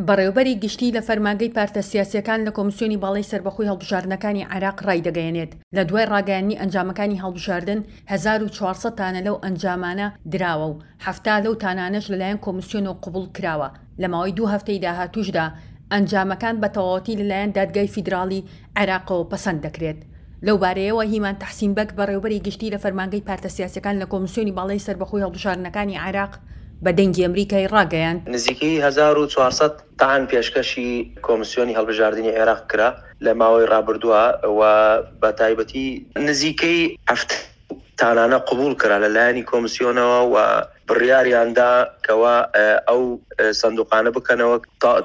بەڕێوەبەری گشتی لە فەرمانگەی پارتە سیاسییەکان لە کۆمسیۆنی باڵای سەربەخۆی هەڵبژاردنەکانی عێراق ڕایدەگەیەنێت، لە دوای ڕاگەیاندنی ئەنجامەکانی هەڵبژاردن 1400 تانە لەو ئەنجامانە دراوە و 70 لەو تانانەش لەلایەن کۆمسیۆنەوە قبوڵ کراوە، لە ماوەی دوو هەفتەی داهاتووشدا ئەنجامەکان بە تەواوەتی لەلایەن دادگای فیدراڵی عێراقەوە پەسەند دەکرێت. لەو بارەیەوە هیمان تەحسین بەگ بەڕێوەبەری گشتی لە فەرمانگەی پارتە سیاسیەکان لە کۆمسیۆنی باڵای سەربەخۆی هەڵبژاردنەکانی عێراق بە دەنگی ئەمریکای ڕاگەیاند، نزیکەی 1400 تەعن پێشکەشی کۆمسیۆنی هەڵبژاردنی عێراق کرا لە ماوەی ڕابردووە و بە تایبەتی نزیکەی 70 تانانە قبوڵ کرا لە لایەنی کۆمسیۆنەوە و بڕیاریان دا کەوا ئەو سندوقانە بکەنەوە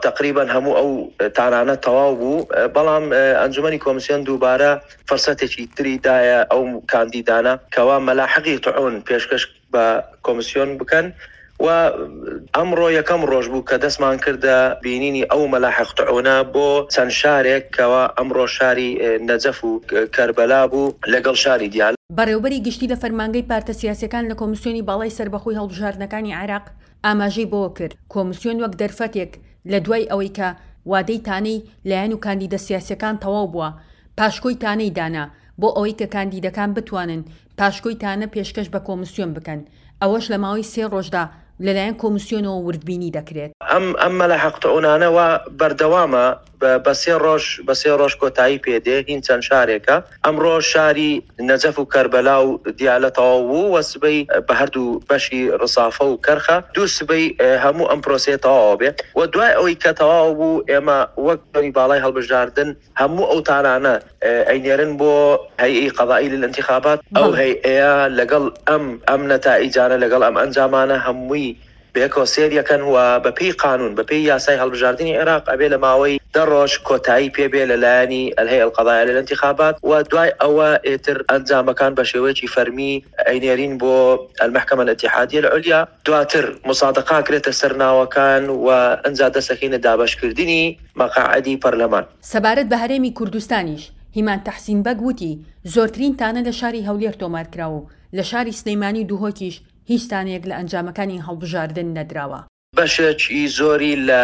تەقریبەن هەموو ئەو تانانە تەواو بوو بەڵام ئەنجومەنی کۆمسیۆن دووبارە فرسەتێکی تری دایە ئەو کاندیدانە کەوا مەلاحقی طعون پێشکەش بە کۆمسیۆن بکەن و ئەمڕۆ یەکەم ڕۆژ بوو کە دەستمان کردە بینینی ئەو مەلاحق طعونە بۆ چەند شارێک کەوا ئەمڕۆ شاری نەجەف و کەربەلا بوو لەگەڵ شاری دیالە. بەڕێوەبەری گشتی لە فەرمانگەی پارتە سیاسیەکان لە کۆمسیۆنی باڵای سەربەخۆی هەڵبژاردنەکانی عێراق ئاماژەی بەوەکرد، کۆمسیۆن وەک دەرفەتێک لە دوای ئەوەی کە وادەی تانەی لایەن و کاندیدە سیاسیەکان تەواو بووە پاشکۆی تانەی دانا بۆ ئەوەی کە کاندیدەکان بتوانن پاشکۆی تانە پێشکەش بە کۆمسیۆن بکەن ئەوەش لە ماوەی سێ ڕۆژدا لەلایەن کۆمسیۆنەوە وردبینی دەکرێت. ئەم ئەم مەلاحەقتعونانە وا بەردەوامە بە سێ ڕۆژ بە سێ ڕۆژ کۆتایی پێ دێ هین چەند شارێکە ئەمڕۆ شاری نەجەف و کەربەلا و دیالە تەواو بوو و سبەی بە هەردوو بەشی ڕسافە و کەرخە دوو سبەی هەموو ئەم پرۆسەیە تەواو بێ و دوای ئەوەی کە تەواو بوو ئێمە وەک بەری باڵای هەڵبژاردن هەموو ئەو تانانە ئەینێرن بۆ هەیئەی قەزائی للانتخابات ئەو هەیئەیە لەگەڵ ئەم ئەم نەتائیجانە لەگەڵ ئەم ئەنجامانە هەمووی بەیەکەوە سەیری ئەکەن و بەپێی قانون بەپێی یاسای هەڵبژاردنی عێراق ئەبێ لە ماوەی دە ڕۆژ کۆتایی پێ بێ لە لایەنی الهیئە القضائیە للانتخابات و دوای ئەوە ئیتر ئەنجامەکان بە شێوەیەکی فەرمی ئەینێرین بۆ المحکمە الاتحادیە العلیا دواتر موسادەقە ئەکرێتە سەر ناوەکان و ئنجا دەست ئەکەینە دابەشکردنی مەقاعدی پەرلەمان. سەبارەت بە هەرێمی کوردستانیش، هیمان تەحسین بەگ وتی، زۆرترین تانە لە شاری هەولێر تۆمارکراوە و لە شاری سلێمانی و دهۆکیش هیچ تانەیەک لە ئەنجامەکانی هەڵبژاردن نەدراوە. بەشێکی زۆری لە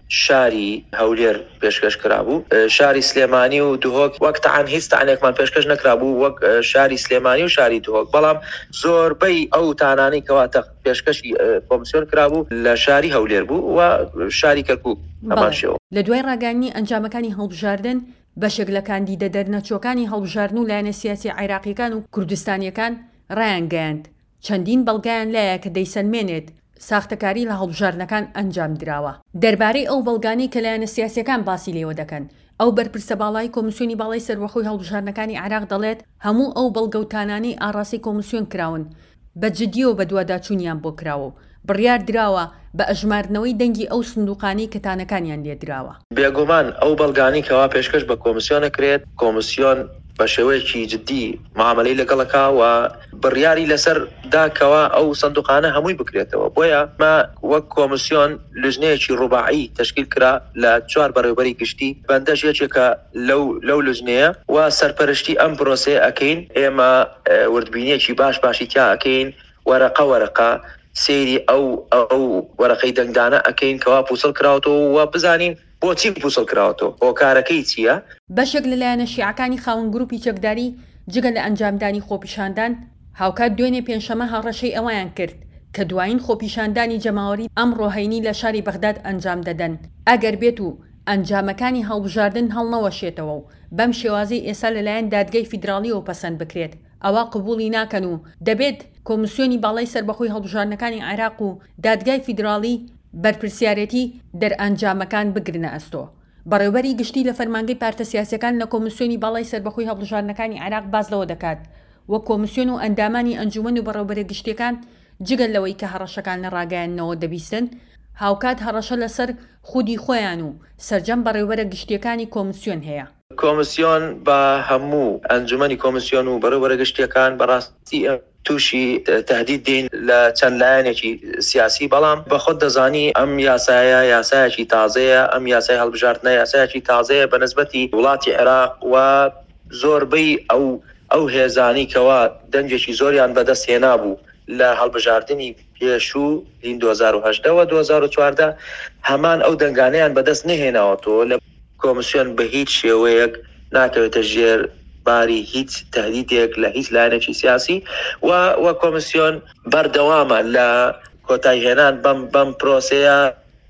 شاری هەولێر پێشکەش کرابوو، شاری سلێمانی و دهۆک وەک تەعن هیچ تەعنێکمان پێشکەش نەکرابوو وەک شاری سلێمانی و شاری دهۆک، بەڵام زۆربەی ئەو تانانەی کەوا پێشکەشی کۆمسیۆن کرابوو لە شاری هەولێر بوو و شاری کەرکوک هەمان شێوە. لە دوای ڕاگەیاندنی ئەنجامەکانی هەڵبژاردن، بەشێک لە کاندیدە دەرنەچووەکانی هەڵبژاردن و لایەنە سیاسییە عێراقییەکان و کوردستانییەکان ڕایانگەیاند، چەندین بەڵگەیان لایە کە دەیسەلمێنێت ساختەکاری لە هەڵبژاردنەکان ئەنجامدراوە. دەربارەی ئەو بەڵگانەی کە لایەنە سیاسییەکان باسی لێوە دەکەن، ئەو بەرپرسە باڵای کۆمیسیۆنی باڵای سەربەخۆی هەڵبژاردنەکانی عێراق دەڵێت، هەموو ئەو بەڵگە و تانانەی ئاڕاستەی کۆمیسیۆن کراون، بە جدییەوە بەدواداچوونیان بۆ کراوە و بڕیار دراوە بە ئەژماردنەوەی دەنگی ئەو سندوقانەی کە تانەکانیان لێدراوە. بێگومان ئەو بەڵگانەی کەوا پێشکەش بە کۆمسیۆن ئەکرێت، کۆمسیۆن بە شێوەیەکی جدی معامەلەی لەگەڵ ئەکا و بڕیاری لەسەر دا کەوا ئەو سندوقانە هەمووی بکرێتەوە. بۆیە ئەمە وەک کۆمسیۆن لوجنەیەکی ڕوباعی تەشکیل کرا لە چوار بەڕێوبەری گشتی، بەندەش یەکێکە لەو لەو لوجنەیە و سەرپەرشتی ئەم پرۆسەیە ئەکەین. ئێمە وردبینیەکی باش باشی تیا ئەکەین، وەرەقە وەرەقە سەیری ئەو ئەو وەرەقەی دەنگدانە ئەکەین کەوا پوچەڵ کراوەتەوە و بزانین بۆچی پوچەڵ کراوەتەوە، هۆکارەکەی چییە؟ بەشێک لە لایەنە شیعەکانی خاوەن گروپی چەکداری جگە لە ئەنجامدانی خۆپیشاندان، هاوکات دوێنێ پێنجشەمە هەڕەشەی ئەوەیان کرد کە دوایین خۆپیشاندانی جەماوەری ئەمڕۆ هەینی لە شاری بەغداد ئەنجام دەدەن ئەگەر بێت و ئەنجامەکانی هەڵبژاردن هەڵنەوەشێتەوە و بەم شێوازەی ئێستا لەلایەن دادگای فیدراڵیەوە پەسەند بکرێت ئەوا قبوڵی ناکەن و دەبێت کۆمسیۆنی باڵای سەربەخۆی هەڵبژاردنەکانی عێراق و دادگای فیدراڵی بەرپرسیارێتی دەرئەنجامەکان بگرنە ئەستۆ. بەڕێوبەری گشتی لە فەرمانگەی پارتە سیاسیەکان لە کۆمسیۆنی باڵای سەربەخۆی هەڵبژاردنەکانی عێراق باس لەوە دەکات وەک کۆمسیۆن و ئەندامانی ئەنجومەن و بەڕێوبەرە گشتیەکان جگە لەوەی کە هەڕەشەکان لە ڕاگەیاندنەوە دەبیستن هاوکات هەڕەشە لەسەر خودی خۆیان و سەرجەم بەڕێوبەرە گشتیەکانی کۆمسیۆن هەیە. کۆمسیۆن بە هەموو ئەنجومەنی کۆمسیۆن و بەڕێوبەرە گشتیەکان بەڕاستی تووشی تەهدید دێین لە چەند لایەنێکی سیاسی، بەڵام بە خۆت دەزانی ئەم یاسایە یاسایەکی تازەیە، ئەم یاسای هەڵبژاردنە یاسایەکی تازەیە بە نسبەتی وڵاتی عێراق و زۆربەی ئەو ئەو هێزانەی کەوا دەنگێکی زۆریان بەدەست هێنابوو. لە هەڵبژاردنی پێشوو هین 2018 و 2014 هەمان ئەو دەنگانەیان بەدەست نەهێناوەتەوە لە کۆمسیۆن بە هیچ شێوەیەک ناکەوێتە ژێر باری هیچ تهدیدێک لە هیچ لایەنێکی سیاسی و و کۆمسیۆن بەردەوامە لە کۆتایهێنان بەم بەم پرۆسەیە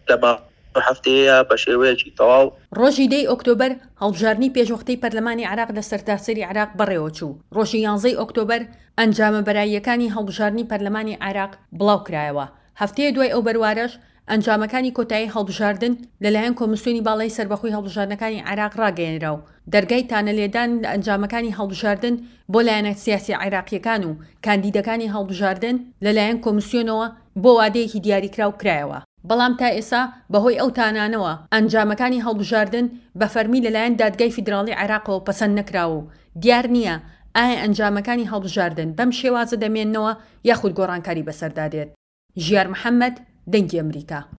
لە ماوەی هەفتەیە بە شێوەیەکی تەواو. ڕۆژی دەی ئۆکتۆبەر هەڵبژاردنی پێشوەختەی پەرلەمانی عێراق لە سەرتاسەری عێراق بەڕێوەچوو، ڕۆژی یانزەی ئۆکتۆبەر ئەنجامە بەراییەکانی هەڵبژاردنی پەرلەمانی عێراق بڵاوکرایەوە، هەفتەیە دوای ئەو بەروارەش ئەنجامەکانی کۆتایی هەڵبژاردن لەلایەن کۆمیسیۆنی باڵای سەربەخۆی هەڵبژاردنەکانی عێراق ڕاگەیەنرا و دەرگای تانەلێدان لە ئەنجامەکانی هەڵبژاردن بۆ لایەنە سیاسیە عێراقییەکان و کاندیدەکانی هەڵبژاردن لەلایەن کۆمیسیۆنەوە بۆ وادەیەکی دیاریکراو کرایەوە. بەڵام تا ئێستا بەهۆی ئەو تانانەوە ئەنجامەکانی هەڵبژاردن بە فەرمی لەلایەن دادگای فیدراڵی عێراقەوە پەسەند نەکراوە و دیار نییە ئایا ئەنجامەکانی هەڵبژاردن بەم شێوازە دەمێننەوە یاخود گۆڕانکاری بەسەردا دێت. ژیار محەمەد، دەنگی ئەمریکا.